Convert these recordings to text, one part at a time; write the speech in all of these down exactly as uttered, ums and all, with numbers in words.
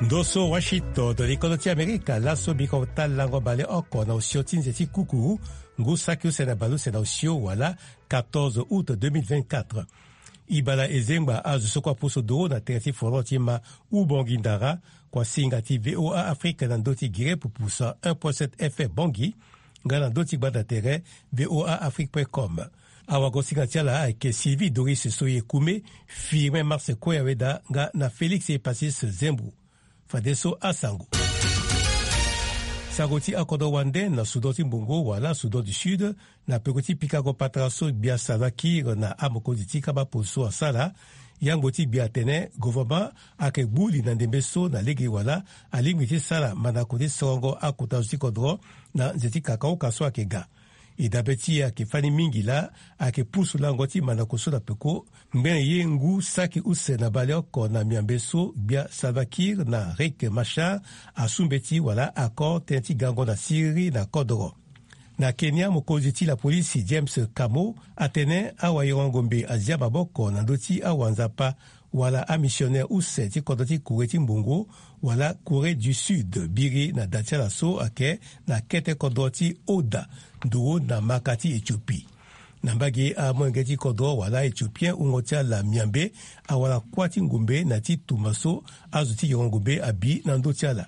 Ndo so Washington, likolo ti Amerika, laso biko ta lango baleoko na osio ti nze ti kukuru, ngu saki use na baleuse na osio wala quatorze août deux mille vingt-quatre. Ibala ezengba azo so kue apusu duru na tere ti folon ti ma Ubongi Ndara, kuasinga ti V O A Afrique na ndö ti gere pupusa un point sept F M Bangui, nga na ndö ti gbanda tere V O A Afrique point com. Awagosinga ti ala ayeke Sylvie Doris Soye Kume, Firmin Mars Koyaweda nga na Félix Epasis Zembu. Fadeso asango. Sango ti akodro wande na Soudan ti Mbongo wala Soudan du Sud, na peko ti pikango patara so gbia Salva Kiir na amokonzi ti kaba polo so asara. Yangbo ti gbia atene gouvernement ayeke gbu li na ndembe so na lege wala alingbi ti sara mandako ti sorongo akota zo ti kodro na nze ti kakaoka so ayeke ga. E dabe ti e ayeke fani mingi laa, ayeke pusu lango ti mandako so na peko. Ngbene ye ngu saki use na baleoko na miambe so gbia Salva Kiir na Riek Machar asu mbeti wala accord tënë ti gango na siriri na kodro. Na Kenya, mokonzi ti lapolisi James Kamo atene awayoro ngombe azia maboko na ndö ti awanzapa wala amisionere use ti kodro ti Corée ti Mbongo wala Corée du Sud biri na da ti ala so ayeke na kete kodro ti Oda, nduru na maka ti Ethiopie. Na mbage amolenge ti kodro wala Ethiopien wungo ti ala miambe awara kuâ ti ngombe na ti tumba so azo ti yoro ngombe abi na ndö ti ala.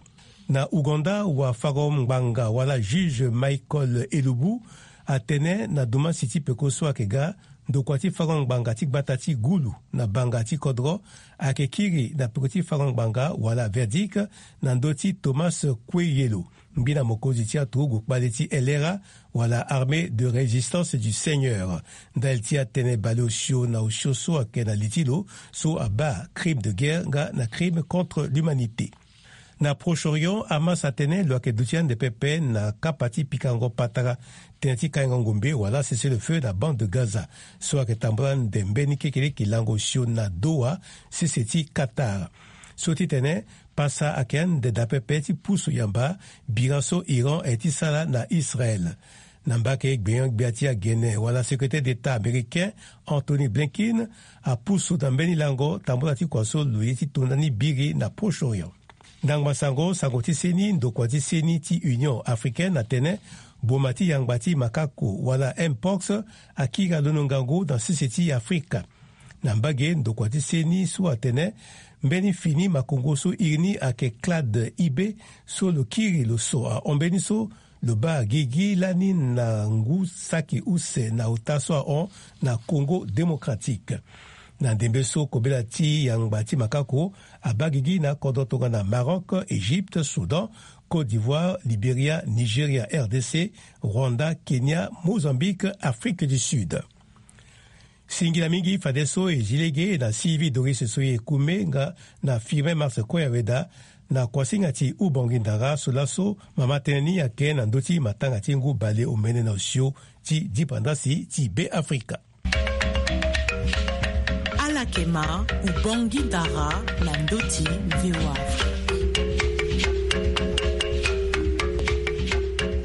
Na Ouganda, wafango ngbanga wala juge Michael Elubu atene na dumasi ti peko so ayeke ga, ndokua ti fango ngbanga ti gbata ti Gulu na banga ti kodro ayeke kiri na peko ti fango ngbanga wala verdict na ndö ti Thomas Kweyelo, mbi na mokonzi ti aturugu kpale ti L R A wala Armée de Résistance du Seigneur, ndali ti atene baleosio na osio so ayeke na li ti lo so abaa crime de guerre nga na crime contre l'humanité. Na Proche-Orient, Hamas atene lo yeke duti ande pepe na kapa ti pikango patara tënë ti kaingo ngombe wala cessez-le-feu na bande de Gaza so ayeke tambula ande mbeni kekeleke lango osio na Doha, sese ti Qatar. So ti tene pasa ayeke ande daa pepe ti pusu yamba bira so Iran aye ti sara na Israël. Na mbage gbenyo-gbia ti agene wala secrétaire d'État américain Antony Blinken apusu na mbeni lango tambula ti kua so lo ye ti to ndani biri na Proche-Orient. Ndangba sango, sango ti seni, ndokua ti seni ti Union Africaine atene boma ti yangba ti makako wala Mpox akiri alondo ngangu na sese ti Afrika. Na mbage ndokua ti seni so atene mbeni fini makongo so iri ni ayeke clade I B so lo kiri lo so ahon mbeni so lo baa gigi lani na ngu saki use na ota so ahon na Congo Démocratique. Na ndembe so kobela ti yangba ti makako abaa gigi na kodro tongana Maroc, Égypte, Soudan, Côte d'Ivoire, Libéria, Nigeria, R D C, Rwanda, Kenya, Mozambique, Afrique du Sud. Singila mingi fadeso e zi lege na Sylvie Doris Soye Kume nga na Firmin Mars Koyaweda na kuasinga ti Ubongi Ndara so laso mama tënë ni ayeke na ndö ti matanga ti ngu bale omene na osio ti dipandasi ti Be Afrika. Ala yeke ma Ubongi Ndara na ndö ti V O A Afrique.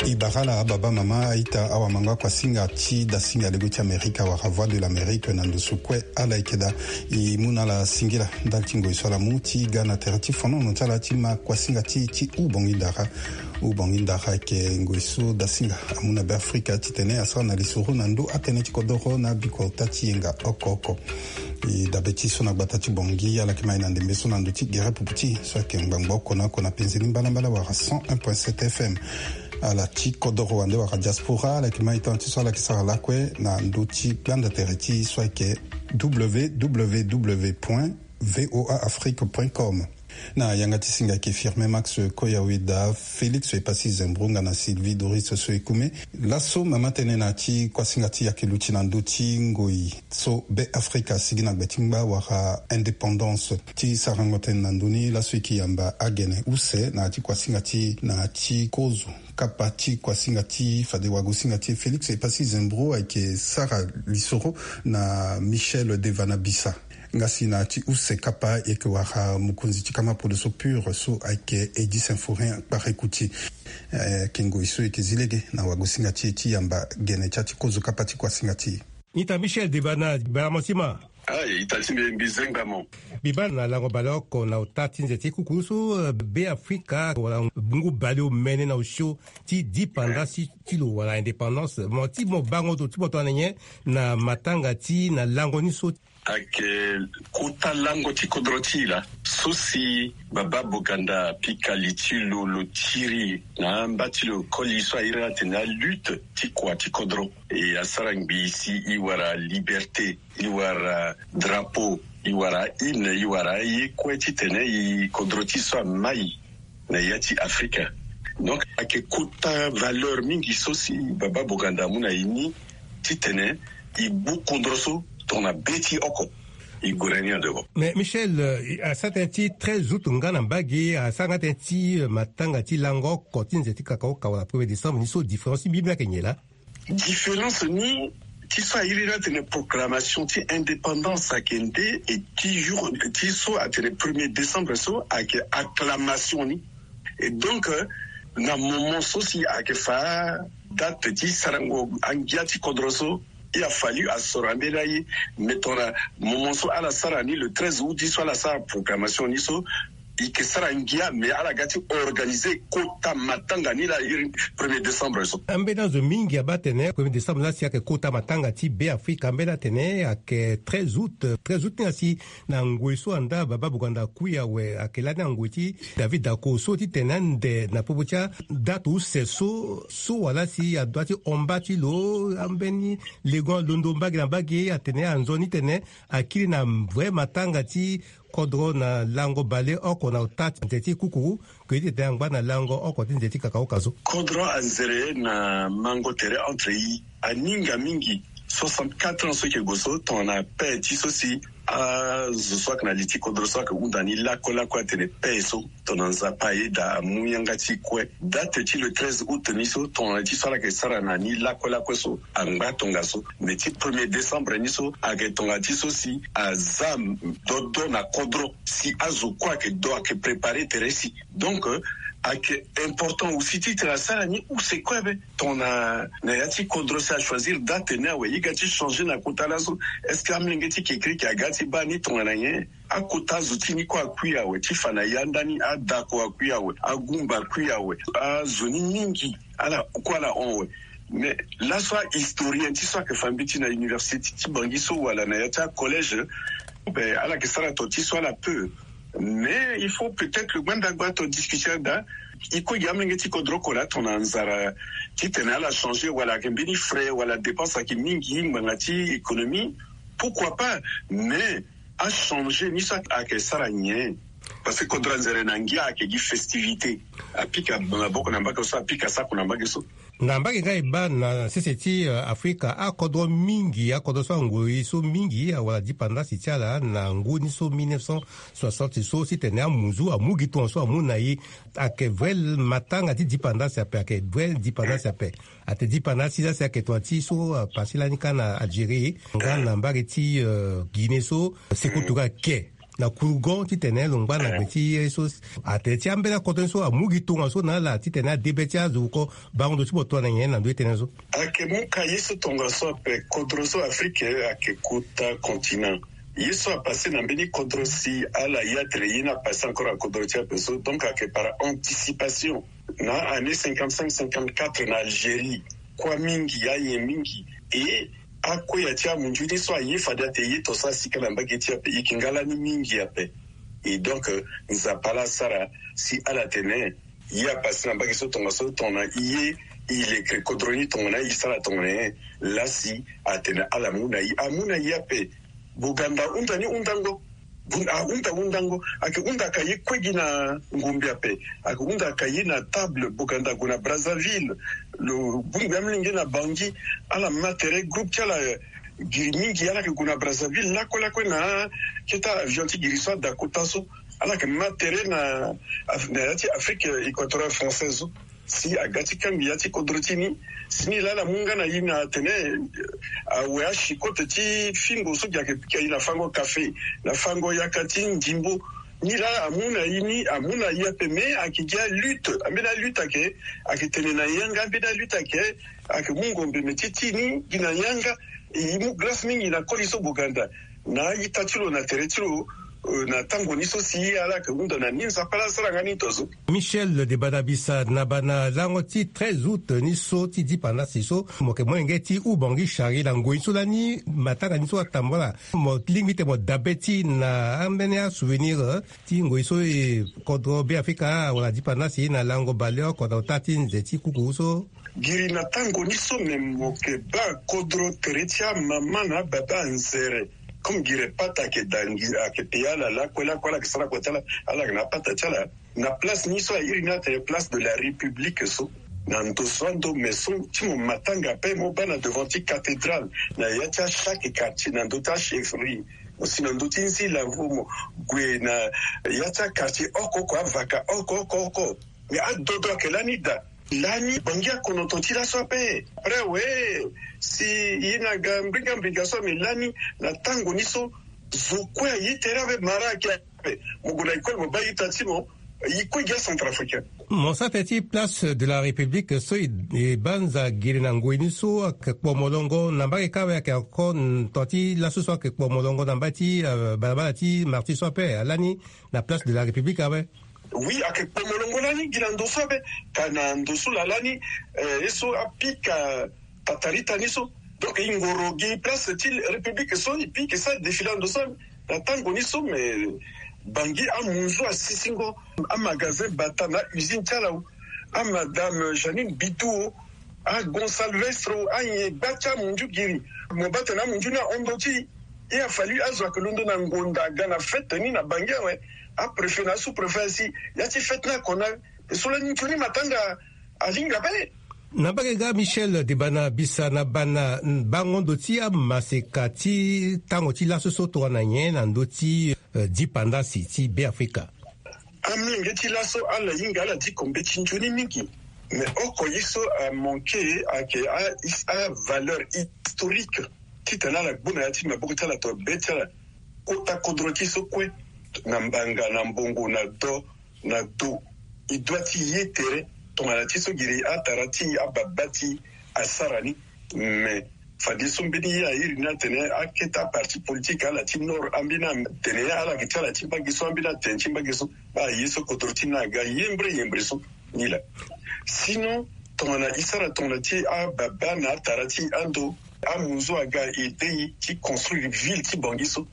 E bara ala ababa mama aita awamango akuasinga ti dasinga lego ti Amerika wala Voix de l'Amérique na ndo so kue ala yeke daa. E mu na ala singila ndali ti ngoi so ala mu ti ga na tere ti fonono ti ala ti ma kuasinga ti e ti Ubongi Ndara. Ubongi Ndara ayeke ngoi so dasinga amu na Be Afrika titene asara na lisoro na ndö atënë ti kodoro na bikota ti yenga oko oko. E dabe ti so na gbata ti Bangui ala yeke ma e na ndembe so na ndö ti gere pupu ti e so ayeke ngbangbo oko na oko na penze ni mbalambala wala cent un point sept F M. Ala ti kodoro wande wala diaspora ala yeke ma e tënë ti so ala yeke sara lakue na ndö ti gbanda tere ti e so ayeke W W W point V O A Afrique point com. Na yanga ti singa ayeke Firmin Max Koyaweda, Félix Epassi Zembro nga na Sylvie Doris Soyekume. Laso mama tënë na ya ti kuasinga ti e ayeke luti na ndö ti ngoi so Be Afrika asigi na gbe ti ngba wala indépendance. Ti sarango tënë na ndö ni laso e yeke yamba agene use na ya ti kuasinga ti e na ya ti kozo kapa ti kuasinga ti e fade wagosinga ti e Félix Epassi Zembro ayeke sara lisoro na Michel Devanabissa. Nga si na ya ti use kapa e yeke wara mokonzi ti kama polo so pur so ayeke Eddy Symphorien Kparekouti. Eh, ayeke ngoi so e yeke zi lege na wagosinga ti e ti yamba gene ti ya ti kozo kapa ti kuasinga ti e. Ita Michel Devana, bala mo ti ma. Ah, e ta ti mbi, mbi zengba mo. Mbi baa na lango baleoko na ota ti nze ti kuku so, eh, Beafrika wala ngu baleomene na osio ti dipanda si ti lo wala indépendance. Mo ti mo bango zo ti mo tongana nyen na matanga ti na lango ni so? Ayeke kota lango ti kodro ti e laa so si Baba Boganda apika li ti lo, lo tiri na amba ti lo koli so a iri atene alutte ti kua ti kodro. E asara ngbii si e wara liberté, e wara drapeau, e wara hymne, e wara aye kue titene e kodro ti e so amai na ya ti Afrika. Donc ayeke kota valeur mingi so si Baba Boganda amu na e ni titene e gbu kodro so tongana be ti oko. E gue na ni na devant. Mais Michel, euh, asara tënë ti treize août nga na mbage, asara nga tënë ti, euh, matanga ti lango oko ti nze ti kakaoka wala premier décembre ni so, différence ti mbi mbi ayeke nyen laa? Différence ni ti so a iri ni atene proclamation ti indépendance ayeke nde, e ti jour ti so atene premier décembre so ayeke acclamation ni. Et donc, euh, na moment so si ayeke fa date ti sarango angia ti kodro so, e a fallu asoro ambeni aye. Mais tongana moment so ala sara ni le treize août so ala sara proclamation ni so, e yeke sara ngia, mais ala ga ti organiser kota matanga ni laa iri premier décembre so. Ambeni azo mingi abaa atene premier décembre laa si ayeke kota matanga ti Beafrika, ambeni atene ayeke treize août. Treize août ni asi na ngoi so andaa Baba Boganda akui awe, ayeke lani angoi ti David Dacko so titene ande na popo ti adate use so, so wala si adoit ti hon mba ti lo, ambeni legon alondo mbage na mbage, atene anzoni titene akiri na vrai matanga ti kodro na lango baleoko na ota ti nze ti kukuru, ke ti tene angba na lango oko ti nze ti kakaoka so. Kodro anzere na mango tere entre e aninga mingi. Soixante-quatre ans so e yeke gue so, tongana paix ti so si azo so ayeke na li ti kodro so ayeke hunda ni lakue lakue atene paix so, tongana Nzapa ayeda amu yanga ti e kue. Date ti le treize août ni so, tongana ti so ala yeke sara na ni lakue lakue so, angba tongaso. Mais ti premier décembre ni so ayeke tongana ti so si aza dodo na kodro, si azo kue ayeke do, ayeke préparer tere si. Donc, euh, ayeke important aussi titene asara ni use kue be. Tongana na ya ti kodro si achoisir date ni awe, e ga ti changer na kota laso. Est-ce que amolenge ti kekereke aga ti baa ni tongana nyen? Akota azo ti ni kue akui awe, ti fa na yanda ni, adako akui awe, agumba akui awe, azo ni mingi ala kue ala hon awe. Mais laso ahistorien ti so ayeke fa mbeti na université ti Bangui so wala na ya ti acollège, ben, ala yeke sara to ti so ala peut. Mais il faut peut-être lo gbanda gba to discuter daa. E kue gi amolenge ti kodro oko laa tongana nzara titene ala changer wala ayeke mbeni frais wala dépense ayeke mingi ngbanga ti économie. Pourquoi pas? Mais achanger ni so ayeke sara nyen? Parce que kodro anzere na ngia ayeke gi festivité. Apika maboko na mbage so, apika sako na mbage so. Na mbage nga e baa na sese ti, euh, Afrika, akodro mingi, akodro so angoi so mingi awara dipandasi ti ala na ngu ni so mille neuf cent soixante so, titene amuzu amu gi tongaso amu na e. Ayeke vrai matanga ti dipandasi ape, ayeke vrai dipandasi ape. Ate dipandasi la si ayeke tonga ti so, euh, pasi lani kâ na Algérie, nga na mbage ti, euh, Guinée so, seko tonga ke na kurugon titene lo ngba na gbe ti ye so. Atene ti ambeni akoto ni so amu gi tongaso na ala titene ade be ti azo oko bango ndo ti mo tongana nyen na ndö ti tënë so? Ayeke mu ka ye so tongaso ape, kodro so Afrique ayeke kota continent. Ye so apase na mbeni kodro si ala ya tene ye ni apase encore na kodro ti ape so, donc ayeke par anticipation. Na année cinquante-cinq cinquante-quatre na Algérie, kua mingi, ayen mingi. E akue ya ti amunzu ni so aye fade ate ye to so asika na mbage ti ape, e yeke nga lani mingi ape. Et donc, euh, Nzapa laa asara si ala tene ye apase na mbage so tongaso tongana e ye e lekere kodro ni tongana e sara tongana nyen. Laa si atene ala mu na e, amu na e ape. Boganda ahunda ni hundango. Bun-, ahunda hundango. Ayeke hunda ka ye kue gi na ngombe ape. Ayeke hunda ka ye na table, Boganda ague na Brazzaville. Lo bongbi amolenge na Bangui. Ala ma tere, groupe ti ala giri mingi, ala yeke gue na Brazzaville lakue lakue na akete avion ti giri so ada kota so. Ala yeke ma tere na, na ya ti Afrique équatoriale française so. Si aga ti kangbi ya ti kodro ti ni, si ni laa ala mu nga na e na tene, eh, awe asikote ti fingo so gi ayeke pika e na fango kafe, na fango yaka ti ndimbo. Ni laa amu na e ni, amu na e ape, me ayeke gi alutte, ambeni alutte ayeke, ayeke tene na yanga, ambeni alutte ayeke, ayeke mu ngombe me ti ti ni gi na yanga. E mu grâce mingi na koli so Boganda. na aita ti lo na tere ti lo. Na tango ni so si ala yeke hunda na ni, Nzapa ala sara nga ni tongaso. Michel Debanabisa, na bana lango ti treize août ni so ti dipandasi so, mo yeke molenge ti hubongi chari na ngoi so lani matanga ni so atambula. Mo lingbi ti mo dabe ti na ambeni asouvenir ti ngoi so e kodro Beafrika wala dipandasi na lango baleoko na ota ti nze ti kuku so. Giri na tango ni so me mo yeke baa kodro tere ti amama na ababa anzere. Comme giri pata ayeke dangi, ayeke paya ala lakue lakue, ala yeke sara kua ti ala, ala yeke na apata ti ala. Na place ni so airi ni atene place de la République so, na ndo so ando me so ti mo matanga ape, mo baa na devant ti cathédrale, na ya ti achaque quartier, na ndo ti achefferie, mo si na ndo ti nzila vo mo gue na ya ti aquartier oko oko, avaka oko oko oko. Me adodo ayeke lani daa. Lani bangi akonoto ti laso ape. Après we, si ye na ga mbinga mbinga so ame lani, na tango ni so zo kue aye tere ape, mara ayeke ape. Mo gue na école mo baa ita ti mo, e kue gi acentrafricain. Mo sara tënë ti place de la République so e, e banza giri na ngoi ni so ayeke kpo molongo na mbage kâ awe, ayeke encore tonga ti laso so ayeke kpo molongo na mbage ti, euh, balabala ti Martyrs so ape, alani na place de la République awe. Oui, ayeke kpo molongo lani gi na ndo so ape, ka na ndo so laa lani, eh, ye so apika tatarita ni so. Donc e ngoro gi place ti République so e pike sara défilé na ndo so ape. Na tango ni so me bangi amunzu asisingo, amagasin Bata na usine ti ala o, amadame Jeanine Bitou o, aGonsalvestre o, anyen gba ti amunzu giri. Mo baa tene amunzu ni ahon ndo ti e, a fallu azo ayeke londo na ngonda aga na fête ni na bangi awe. Apréfet na asous-préfet asi ya ti fête ni akona. E so lani nzoni matanga alinga bale. Na mbage ga Michel Debanabisa, na bana bango ndo ti amaseka ti tango ti laso so tongana nyen na ndö ti, euh, dipandasi ti Beafrika? Amolenge ti laso ala hinga ala diko mbeti nzoni mingi. Mais oko ye so amanke ayeke a, a valeur historique titene ala gbu na ya ti maboko ti ala to be ti ala. Kota kodro ti so kue, na mbanga, na mbongo, na do, na do, e doit ti ye tere tongana ti so giri atara ti ababa ti asara ni. Mais fadeso mbeni ye airi ni atene akete aparti politique ala ti nord ambeni atene ala yeke ti ala ti mbage so, ambeni atene ti mbage so. Aye so kodro ti ni aga yembre yembre so ni laa. Sinon tongana e sara tongana ti ababa na atara ti ando, amunzu aga aide e ti construire ville ti Bangui so.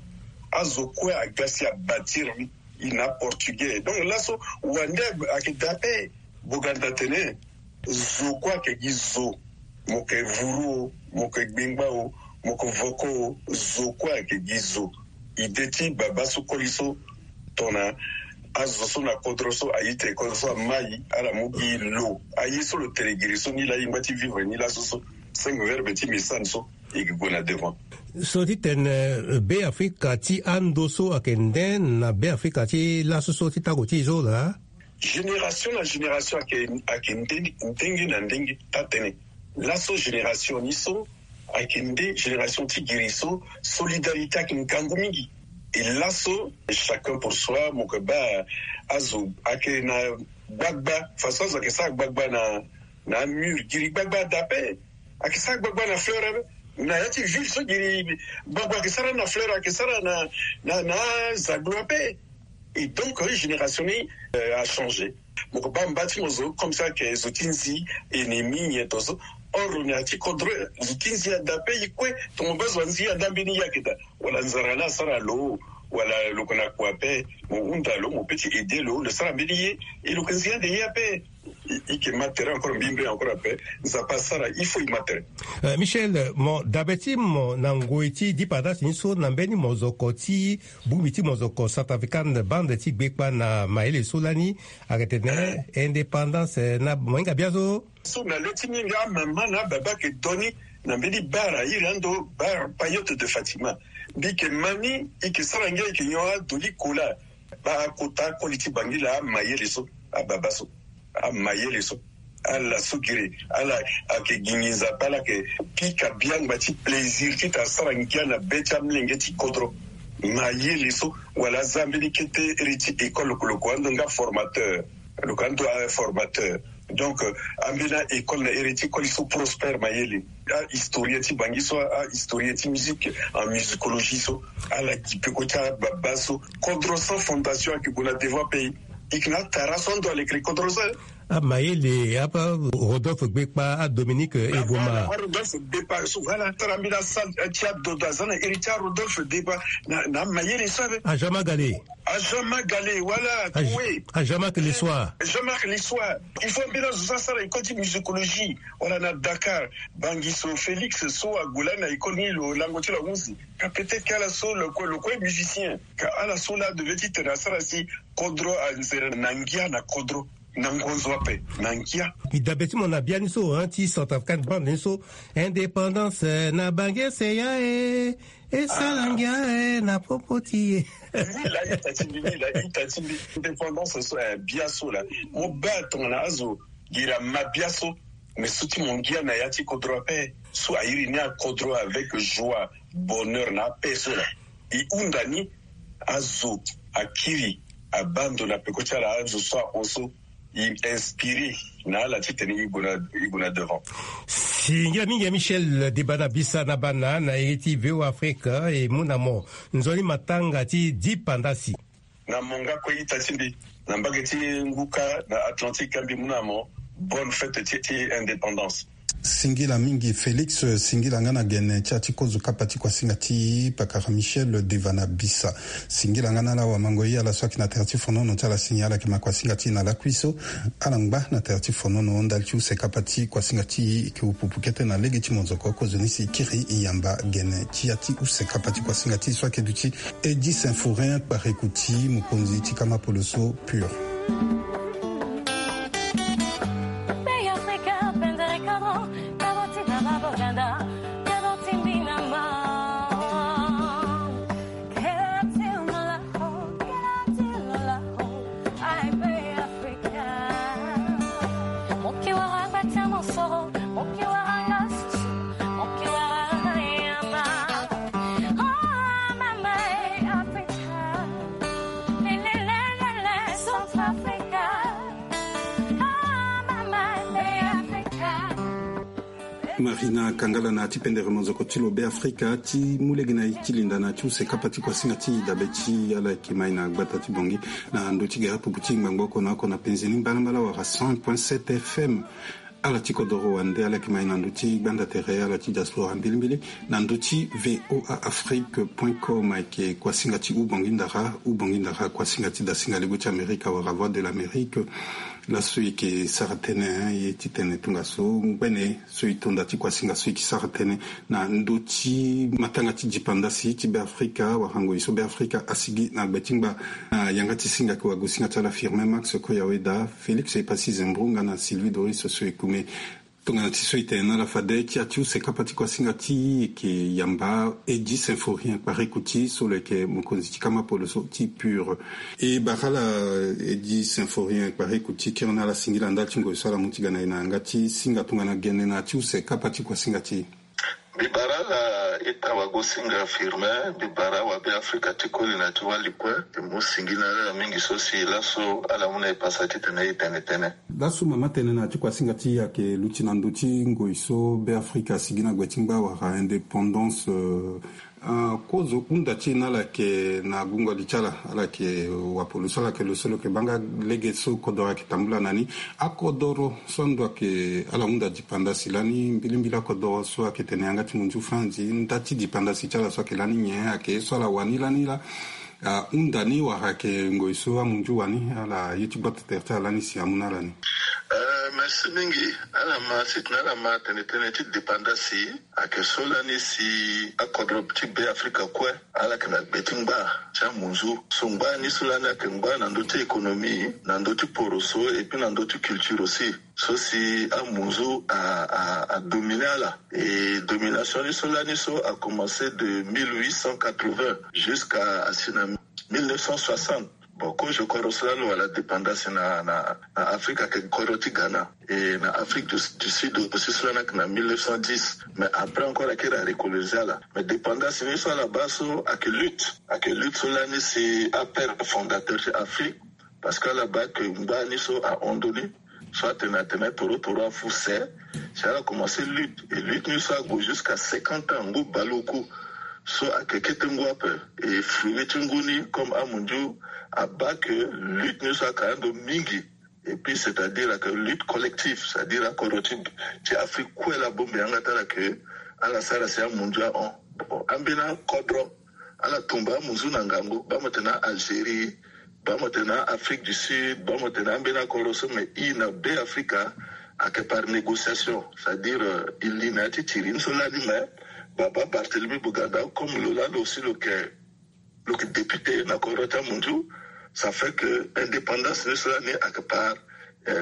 Azo kue aga si abâtir ni. E na portugais. Donc laso wande ayeke dape. Boganda tene zo kue ayeke gi zo. Mo yeke vuru o, mo yeke gbengba o, mo yeke voko o, zo kue ayeke gi zo. Ide ti baba so koli so tongana azo so na kodro so aye tene kodro so amai, ala mu gi lo. Aye so lo tene giri so ni laa, e ngba ti vivre ni laso so. Cinq verbes ti messane so e yeke gue na devant. So ti tene, euh, Beafrika ti ando so ayeke nde na Beafrika ti laso so ti tango ti e so laa? Génération na génération ayeke, ayeke nde, ndenge na ndenge. Taa-tënë, laso génération ni so ayeke nde génération ti giri so solidarité ayeke ngangu mingi. E laso chacun pour soi, mo yeke baa azo ayeke na gbagba, façon azo ayeke sara gbagba na, na mur, giri gbagba dape. Ayeke sara gbagba na fleur ape. Na ya ti ville so giri gbagba ayeke sara na fleur, ayeke sara na, na, na zaglo ape. Et donc, euh, génération ni, euh, a changé. Mo yeke baa mba ti mo zo comme ça ayeke zo ti nzi, ennemi nyen tongaso. Or lo na ya ti kodro, zo ti nzi ada ape, e kue. Tongana mo baa zo anzi ada, mbeni ye ayeke daa. Wala nzara ni asara lo, wala lo yeke na kua ape, mo hunda lo, mo peut ti aider lo, lo sara mbeni ye, e lo yeke nzi ande ye ape. E, e yeke ma tere encore, mbi mbe encore ape. Nzapa asara, il faut e ma tere. Euh, Michel, mo dabe ti mo na ngoi ti dipandasi ni so, na mbeni mozoko ti bongbi ti mozoko Centrafricaine Bande ti gbekpa na mayele so lani, ayeke tene indépendance, eh, na mo hinga biazo. So na le ti mingi amama na ababa ayeke do ni na mbeni bar airi ando, bar Payotte de Fatima. Mbi yeke ma ni, e yeke sara ngia, e yeke nyon adoli kola. Baa akota akoli ti Bangui laa, amayele so, ababa so, amayele so. Ala so giri, ala ayeke gingi Nzapa, ala yeke pika biangba ti plaisir titene asara ngia na be ti amolenge ti kodro. Mayele so, wala aza mbeni kete iri ti école lo ko, lo ko ando nga formateur. Lo ko ando aformateur. Donc, euh, ambeni école na iri ti école so prospère mayele. Ahistorien ti bangi so, ahistorien ti musique, en musicologie so, ala gi peko ti ababa so. Kodro sans fondation ayeke gue na devant pays. Ike na tara so ando alekere kodro so. Amayele, apa Rodolphe Gbekpa, a Dominique Eboma. Rodolphe Gbekpa so, voilà, tara mbeni asal ti adodo aza na iri ti a Rodolphe Gbekpa. Na, na mayele so abe. A Jean Magale. A Jean Magale, voilà. A Jean Magale soir. Jean Magale soir. Il faut mbeni azo so asara école ti musicologie. Wala na Dakar, bangi so Félix so ague lani na école ni lo lango ti lo ahusi. Ka peut-être ka ala so lo kue, lo kue musicien. Ka ala so la devait ti tene asara si kodro anzere na ngia na kodro. Na ngonzo ape na ngia. Mbi dabe ti mo na biani so, hein, ti Centrafricaine bande ni so. Indépendance, eh, na bange se ya, eh, e sala ngia, eh, na popo ti e. Ni la ita ti mbi, ni la ita ti mbi. Indépendance so, eh, bia so la. Mo baa tongana azo gira ma bia so. Mais so ti mo ngia na ya ti kodro ape. So airi ni akodro avec joie, bonheur na ape so la. E hunda ni azo akiri abaa ndo na peko ti ala, azo so ahon so e inspiré na ala titene e gue na, e gue na devant. Singila mingi ya Michel Debana Bisa na bana na iri ti V O Afrique, e mu na mo nzoni matanga ti dipandasi. Na mo nga kue ita ti mbi, na mbage ti ngu kâ na Atlantique, mbi mu na mo bonne fête ti, ti indépendance. Singila mingi Félix, singila nga na gene ti ya ti kozo kapa ti kuasinga ti pakara Michel Debana Bisa. Singila nga na ala wamango ye, ala so ayeke na tere ti fonono ti ala si ni ala yeke ma kuasinga ti e na lakui so. Ala ngba na tere ti fonono ndali ti use kapa ti kuasinga ti e, e yeke upupu kete na lege ti monzoko. Kozoni si e kiri e yamba gene ti ya ti use kapa ti kuasinga ti e so ayeke duti Eddy Symphorien Kpareku ti mokonzi ti kama poloso Pur. Marina Kangala na ya ti pendere monzoko ti lo Be Afrika ti mu lege na e ti linda na ya ti use kapa ti kuasinga ti e dabe ti ala yeke ma e na gbata ti Bangui na ndö ti gere pupu ti ngbangbo oko na oko na penze ni mbalambala wala cent point sept F M. Ala ti kodoro wande ala yeke ma e na ndö ti gbanda tere ala ti diaspora mbilimbili na ndö ti V O A Afrique point com. Ayeke kuasinga ti Ubangui Ndara, Ubangui Ndara, kuasinga ti dasinga ligo ti Amerika wala Voix de l'Amérique. Laso e yeke sara tënë, eh, ye ti tene tongaso ngbene so e to nda ti kuasinga so e yeke sara tënë na ndö ti matanga ti dipandasi ti Be Afrika wala ngoi so Be Afrika asigi na gbe ti ngba. Na yanga ti singa ayeke wagosinga ti ala Firmin Max Koyaweda, Félix Epassi Zembro nga na Sylvie Doris so e kume. Tongana ti so e tene na ala fade ti ya ti use kapa ti kuasinga ti e yeke yamba Eddy Symphorien Kpareku ti so lo yeke mokonzi ti kama poloso ti Pur. E bara ala Eddy Symphorien Kpareku ti kiri na ala singila ndali ti ngoi so ala mu ti ga na e na yanga ti singa tongana gene na ya ti use kapa ti kuasinga ti e. Mbi bara ala ita wagosinga Firmin, mbi bara awabe Afrika ti koli na ti wali kue. E mu singila ala mingi so si laso ala mu na e pasa titene e tene tënë. Laso mama tene na ya ti kuasinga ti e ayeke luti na ndö ti ngoi so Be Afrika asigi na gbe ti ngba wala indépendance, euh, Ah, kozo hunda ti e na ala yeke na gungo li ti ala, ala yeke wapolo so, ala yeke lo so lo yeke baa nga lege so kodoro ayeke tambula na ni. Akodoro so ando ayeke ala hunda dipandasi lani, mbilimbili akodoro so ayeke tene yanga ti munzu franzi, nda ti dipandasi ti ala so ayeke lani nyen, ayeke ye so ala wani lani laa. Ahunda ni wala ayeke ngoi so amunzu wani, ala ye ti gbata tere ti ala lani si amu na ala ni. Euh, merci mingi. Ala ma sitene ala ma tene tënë ti dipandasi. Ayeke so lani si akodro ti Be Afrika kue ala yeke na gbe ti ngba ti amunzu. So ngba ni so lani ayeke ngba na ndö ti économie, na ndö ti poroso, et puis na ndö ti culture aussi. So si amunzu a, a, a dominer ala. Et domination ni so lani so a commencé de mille huit cent quatre-vingts jusqu'à asi na mille neuf cent soixante. Bon, kozo kodro so lani lo wara dépendance na, na, na Afrique ayeke kodro ti Ghana. Et na Afrique du, du Sud aussi so lani ayeke na mille neuf cent dix. Mais après encore ayeke iri arecoloniser ala. Mais dépendance ni so ala baa so ayeke lutte. Ayeke lutte so lani si apère fondateur ti Afrique. Parce que ala baa que ngba ni so ahon ndö ni. So atene atene toro toro afu se. Si ala commencé lutte, et lutte ni so ague jusqu'à cinquante ans, ngu baleoku. So ayeke kete ngu ape. Et fruit ti ngu ni comme amunzu abaa que lutte ni so ayeke ando mingi. Et puis c'est-à-dire ayeke lutte collective, c'est-à-dire akodro ti ti Afrique kue laa abongbi yanga ti ala que ala sara si amunzu ahon. Bon, ambeni akodro ala tumba amunzu na ngangu, baa mo tene Algérie, baa mo tene Afrique du Sud, baa mo tene ambeni akodro so, mais e na Be Afrika ayeke par négociation, c'est-à-dire e li na ya ti tiri ni so lani, mais baba Barthélemy Boganda comme lo lani aussi lo yeke lo yeke député na kodro ti amunzu. Ça fait que indépendance ni so lani ayeke par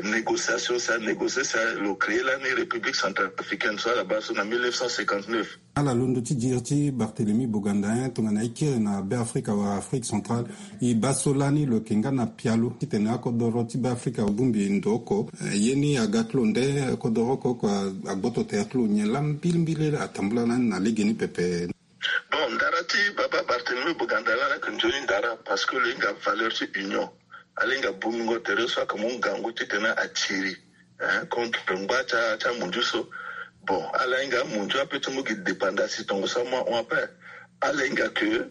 négociation, si anégocié si lo créé lani République centrafricaine so ala baa so na mille neuf cent cinquante-neuf. Ala londo ti diri ti Barthélemy Boganda, hein, tongana e kiri na Be Afrika wala Afrique centrale, e baa so lani lo yeke nga na pialo titene akodoro ti Be Afrika abongbi ndo oko. Eh, ye ni aga ti lo nde kodoro oko oko agboto tere ti lo nyen laa mbilimbili atambula lani na legeni pepe. Bon, ndara ti baba Barthélemy Boganda lani ayeke nzoni ndara parce que lo hinga valeur ti union. Ala hinga bongbingo tere so ayeke mu ngangu titene atiri, hein, contre ngba ti amunzu so. Bon, ala hinga amunzu ape ti mu gi dépendance tongo so amu ahon ape. Ala hinga que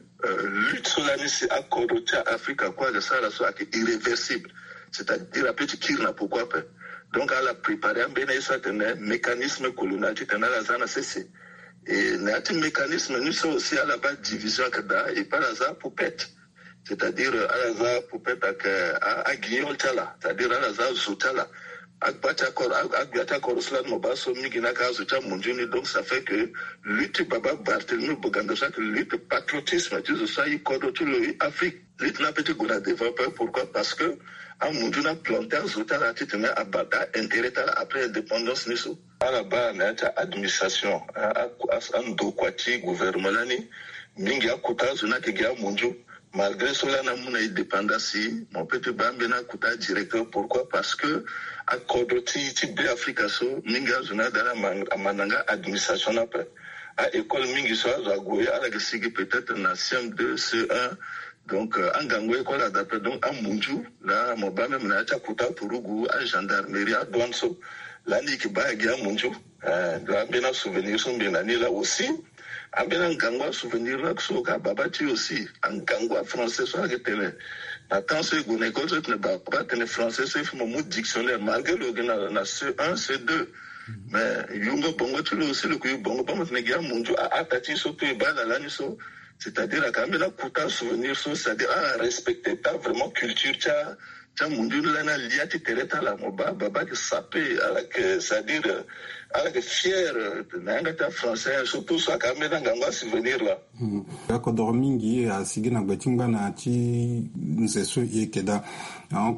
lutte so lani si akodro ti Afrika kue ayeke sara so ayeke irréversible. C'est-à-dire ape ti kiri na poko ape. Donc ala préparer ambeni aye so atene mécanisme colonial titene ala za na sese. Et na ya ti mécanisme ni so aussi ala baa division ayeke daa, et puis ala za apoupette. C'est-à-dire ala za apoupette ayeke aguignol ti ala, c'est-à-dire ala za azo ti ala. Agba ti akoro, agbia ti akoro so lani mo baa so mingi ni ayeke azo ti amunzu ni. Donc ça fait que lutte ti baba Barthélemy Boganda so ayeke lutte patriotisme ti zo so aye kodro ti lo, Afrique. Lutte ni ape ti gue na devant ape. Pourquoi? Parce que amunzu ni aplanté azo ti ala titene abata intérêt ti ala après indépendance ni so. Ala baa na ya ti administration, andokua ti gouvernement lani, mingi akuta azo ni ayeke gi amunzu. Malgré so lani amu na indépendance, mo peut ti baa ambeni akuta directeur. Pourquoi? Parce que akodro ti ti Be Afrika so mingi azo ni ada ala amanda nga administration ni ape. A école mingi so azo ague ala yeke sigi peut-être na C M deux, C E un. Donc angangu école ada ape. Donc amunzu laa mo baa même na ya ti akuta turugu, agendarmerie, adouane so, lani e yeke baa gi amunzu. Laa ambeni asouvenir so mbi na ni laa aussi. Ambeni angangu asouvenir laa so ka baba ti e aussi, angangu afrançais so ayeke tene na temps so e gue na école so e tene baba atene français so e fo mo mu dictionnaire malgré lo yeke na C un, C deux. Mais yungo bongo ti lo aussi lo yeke yu bongo baa mo tene gi amunzu ahata ti e so to e baa ala lani so. C'est-à-dire ayeke ambeni akuta asouvenir so, c'est-à-dire ala respecté pas vraiment culture ti a ti amunzu ni lani alia ti tere ti ala. Mo baa baba ayeke sapé, ala yeke, c'est-à-dire ala yeke fier na yanga ti afrançais, surtout so ayeke ambeni angangu asouvenir laa. Akodoro mingi asigi na gbe ti ngbana ya ti nze so e yeke daa.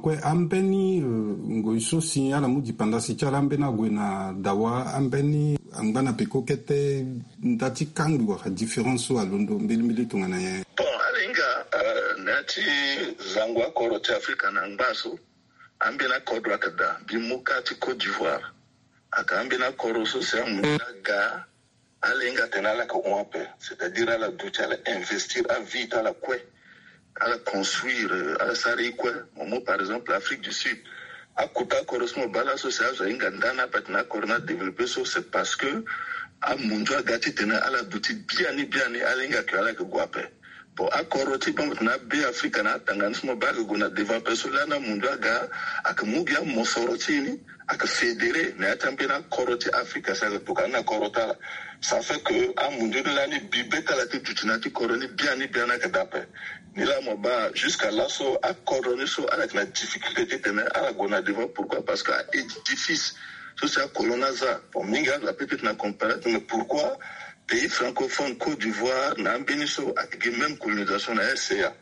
Kue ambeni ngoi so si ala mu dipandasi ti ala ambeni ague na dawa, ambeni angba na peko kete nda ti kangbi wala différence so alondo mbilimbili tongana nyen? Bon, ala hinga na ya ti zango akoro ti Afrika na ngba so, ambeni akodro ayeke daa. Mbi mu ka ti Côte d'Ivoire, ayeke ambeni akoro so si amu ni aga. Ala hinga atene ala yeke hon ape, c'est-à-dire ala duti ala investir avie ti ala kue. Ala construire, ala sara e kue. Mo mu par exemple Afrique du Sud. Akuta akoro so mo baa laso si azo ahinga nda ni ape atene akoro ni adéveloppé so, c'est parce que amunzu aga titene ala duti biani biani, ala hinga ke ala yeke gue ape. Bon, akoro ti bango tena Be Afrika na atanga ni so mo baa ayeke gue na devant ape so lani amunzu aga ayeke mu gi amosoro ti e ni ayeke fédéré na ya ti ambeni akoro ti Afrika si ayeke tokua ni na koro ti ala. Ça fait que amunzu ni lani bibe ti ala ti duti na ya ti koro ni biani biani ayeke daa ape. Ni laa mo baa jusqu'à laso akodro ni so ala yeke na difficulté titene ala gue na devant. Pourquoi? Parce que a édifice so si akolon ni aza. Bon, mingi azo apeut ti tena comparaison, mais pourquoi pays francophone Côte d'Ivoire na ambeni so ayeke gi même colonisation na R C A?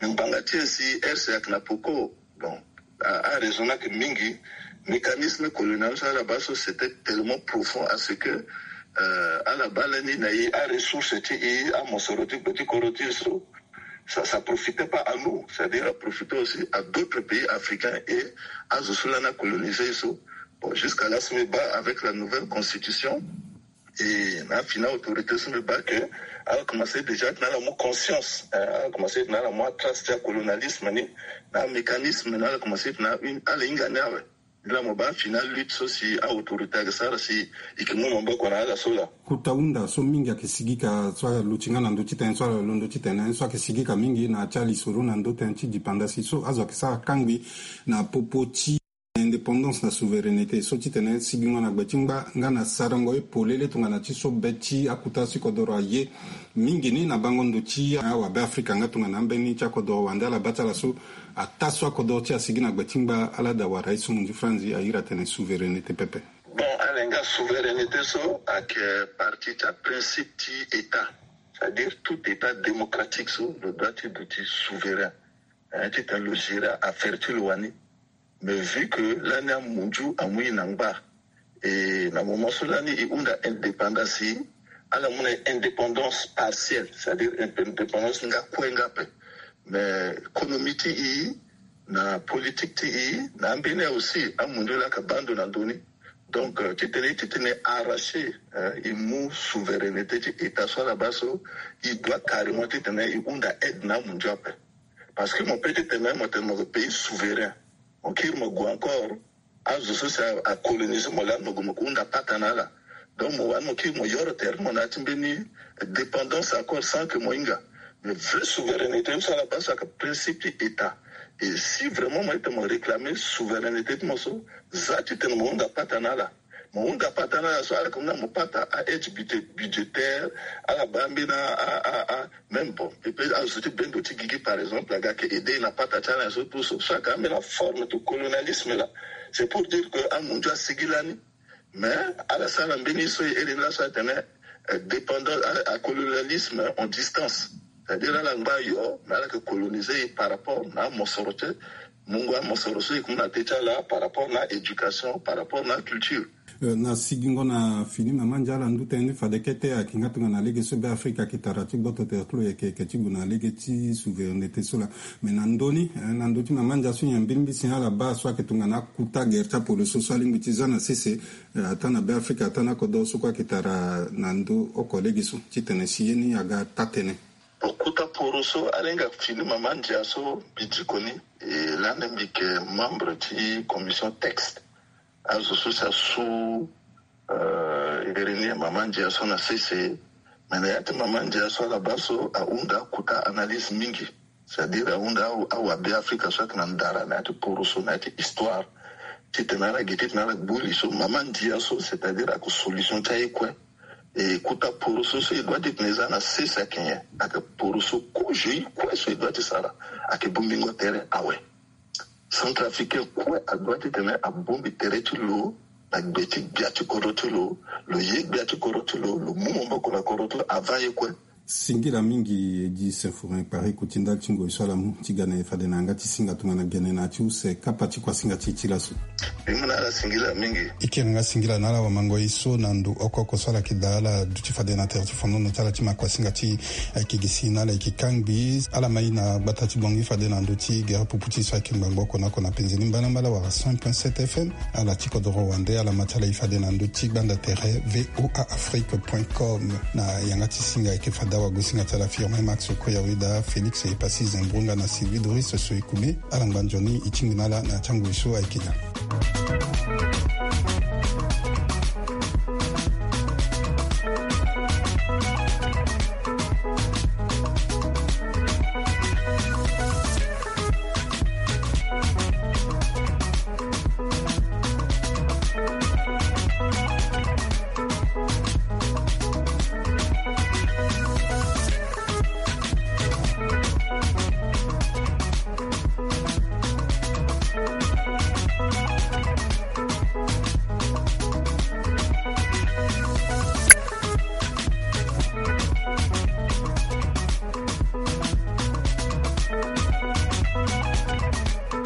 Mais ngbanga ti e si R C A ayeke na poko. Bon, a, araison ni ayeke mingi. Mécanisme colonial so ala baa so c'était tellement profond à ce que ala baa lani na e aressource ti e, amosoro ti gbe ti kodro ti e so, ça, ça profitait pas à nous, c'est-à-dire a profité aussi à d'autres pays africains et azo so lani acolonisé e so. Bon, jusqu'à là so mbi baa avec la nouvelle constitution, et na afini autorité so mbi baa ke ala commencé déjà tena ala mu conscience, eh, ala commencé tena ala mu atrace ti acolonialisme ni, na amécanisme ni ala commencé tena ala hinga ni awe. Nde laa mo baa fini alutte so si a-autorité ayeke sara si e yeke mu maboko na ala so laa. Kota hunda so mingi ayeke sigika so aluti nga na ndö ti tene so ala londo ti tene so ayeke sigika mingi na ya ti alisoro na ndö tënë ti dipandasi so azo ayeke sara kangbi na popo ti indépendance na souveraineté so titene sigingo na gbe ti ngba nga na sarango ye polele tongana ti so be ti akuta ti kodoro aye mingi ni na bango ndo ti awabe afrika nga tongana ambeni ti akodoro wande ala baa ti ala so ataa so akodoro ti asigi na gbe ti ngba ala daa wara ye so munzu franzi airi atene souveraineté pepe. Bon, ala nga souveraineté so ayeke partie ti aprincipe ti état, c'est-à-dire tout état démocratique so lo doit ti duti souverain. Titene lo gérer affaire ti lo wani. Mais vu que lani amunzu amu e na ngba, et na moment so lani e hunda indépendance, ala mu na indépendance partielle, c'est-à-dire indépendance nga kue nga ape. Mais économie ti e na politique ti e na ambeni aussi amunzu laa ayeke baa ndo na ndö ni. Donc titene titene arracher, e mu souveraineté ti état so ala baa so, e doit carrément titene e hunda aide na amunzu ape. Parce que mo peut ti tene mo tene mo pays souverain, mo kiri mo gue encore, azo so si acoloniser mo lani mo gue mo hunda pata na ala. Donc mo wani mo kiri mo yoro tere ti mo na ya ti mbeni dépendance encore sans que mo hinga. Mais vrai souveraineté so ala baa so ayeke principe ti état. Et si vraiment mo ete mo réclamer souveraineté ti mo so, za titene mo hunda pata na ala. Mo hunda pata na ala so ala yeke mu na mo pata a aide budgétaire, ala baa mbeni a même bon, e pe azo ti bendo ti gigi par exemple aga ayeke aider na pata ti ala nyen so tout so so ayeke ambeni aforme ti colonialisme laa. C'est pour dire que amunzu asigi lani. Mais ala sara mbeni so e iri ni laso atene dépendance, acolonialisme en distance. C'est-à-dire ala ngba yo mais ala yeke coloniser e par rapport na amosoro ti e. Mungo amosoro so e ke mu na te ti ala par rapport na éducation, par rapport na culture. Na sigingo na fini mama ndia ala ndu tënë ni fade kete ayeke nga tongana lege so be afrika ayeke tara ti gboto tere ti lo yeke yeke ti gue na lege ti souveraineté so laa. Mais na ndö ni na ndö ti mama ndia so nyen mbirimbiri si ala baa so ayeke tongana akuta gere ti apolo so so alingbi ti za na sese, ataa na be afrika ataa na kodoro so kue ayeke tara na ndö oko lege so titene si ye ni aga taa tënë. Okuta poro so ala hinga fini mama ndia so mbi diko ni. E lani mbi yeke membre ti commission texte. Azo so si asu iri ni mama ndia so na sese. Mais na ya ti mama ndia so ala baa so ahunda akuta analyse mingi. C'est-à-dire ahunda awabe afrika so ayeke na ndara na ya ti poro so na ya ti histoire. Titene ala gi titene ala gbu li so mama ndia so c'est-à-dire ayeke solution ti aye kue. E kuta poro so so e doit titene e za na sese ayeke nyen? Ayeke poro so kozo ye kue so e doit ti sara ayeke bongbingo tere awe. Centrafricain kue adoit titene abongbi tere ti lo na gbe ti gbia ti kodro ti lo. Lo ye gbia ti kodro ti lo, lo mu maboko na kodro ti lo avant ye kue. Singila mingi e gi symphorien kpari kuti ndali ti ngoi so ala mu ti ga na e fade na yanga ti singa tongana gene na ya ti use kapa ti kuasinga ti e ti laso. Mbi mu na ala singila mingi. E kiri nga singila na ala wamango ye so na ndo oko oko so ala yeke daa ala duti fade na tere ti fondono ti ala ti ma kuasinga ti e. Ayeke gi si na ala yeke kangbi ala ma e na gbata ti bongi fade na ndö ti gere pupu ti e so ayeke ngbangbo oko na oko na penze ni mbalambala wala cent point sept fm. Ala ti kodoro wande ala ma ti ala e fade na ndö ti gbanda tere voa afrique point com. Na yanga ti singa ayeke fade awagosinga ti ala firme max koya weda félix epasi zenbrunga na sylvie doris so e kume. Ala ngba nzoni e tingbi na ala na ya ti angoi so ayeke nya.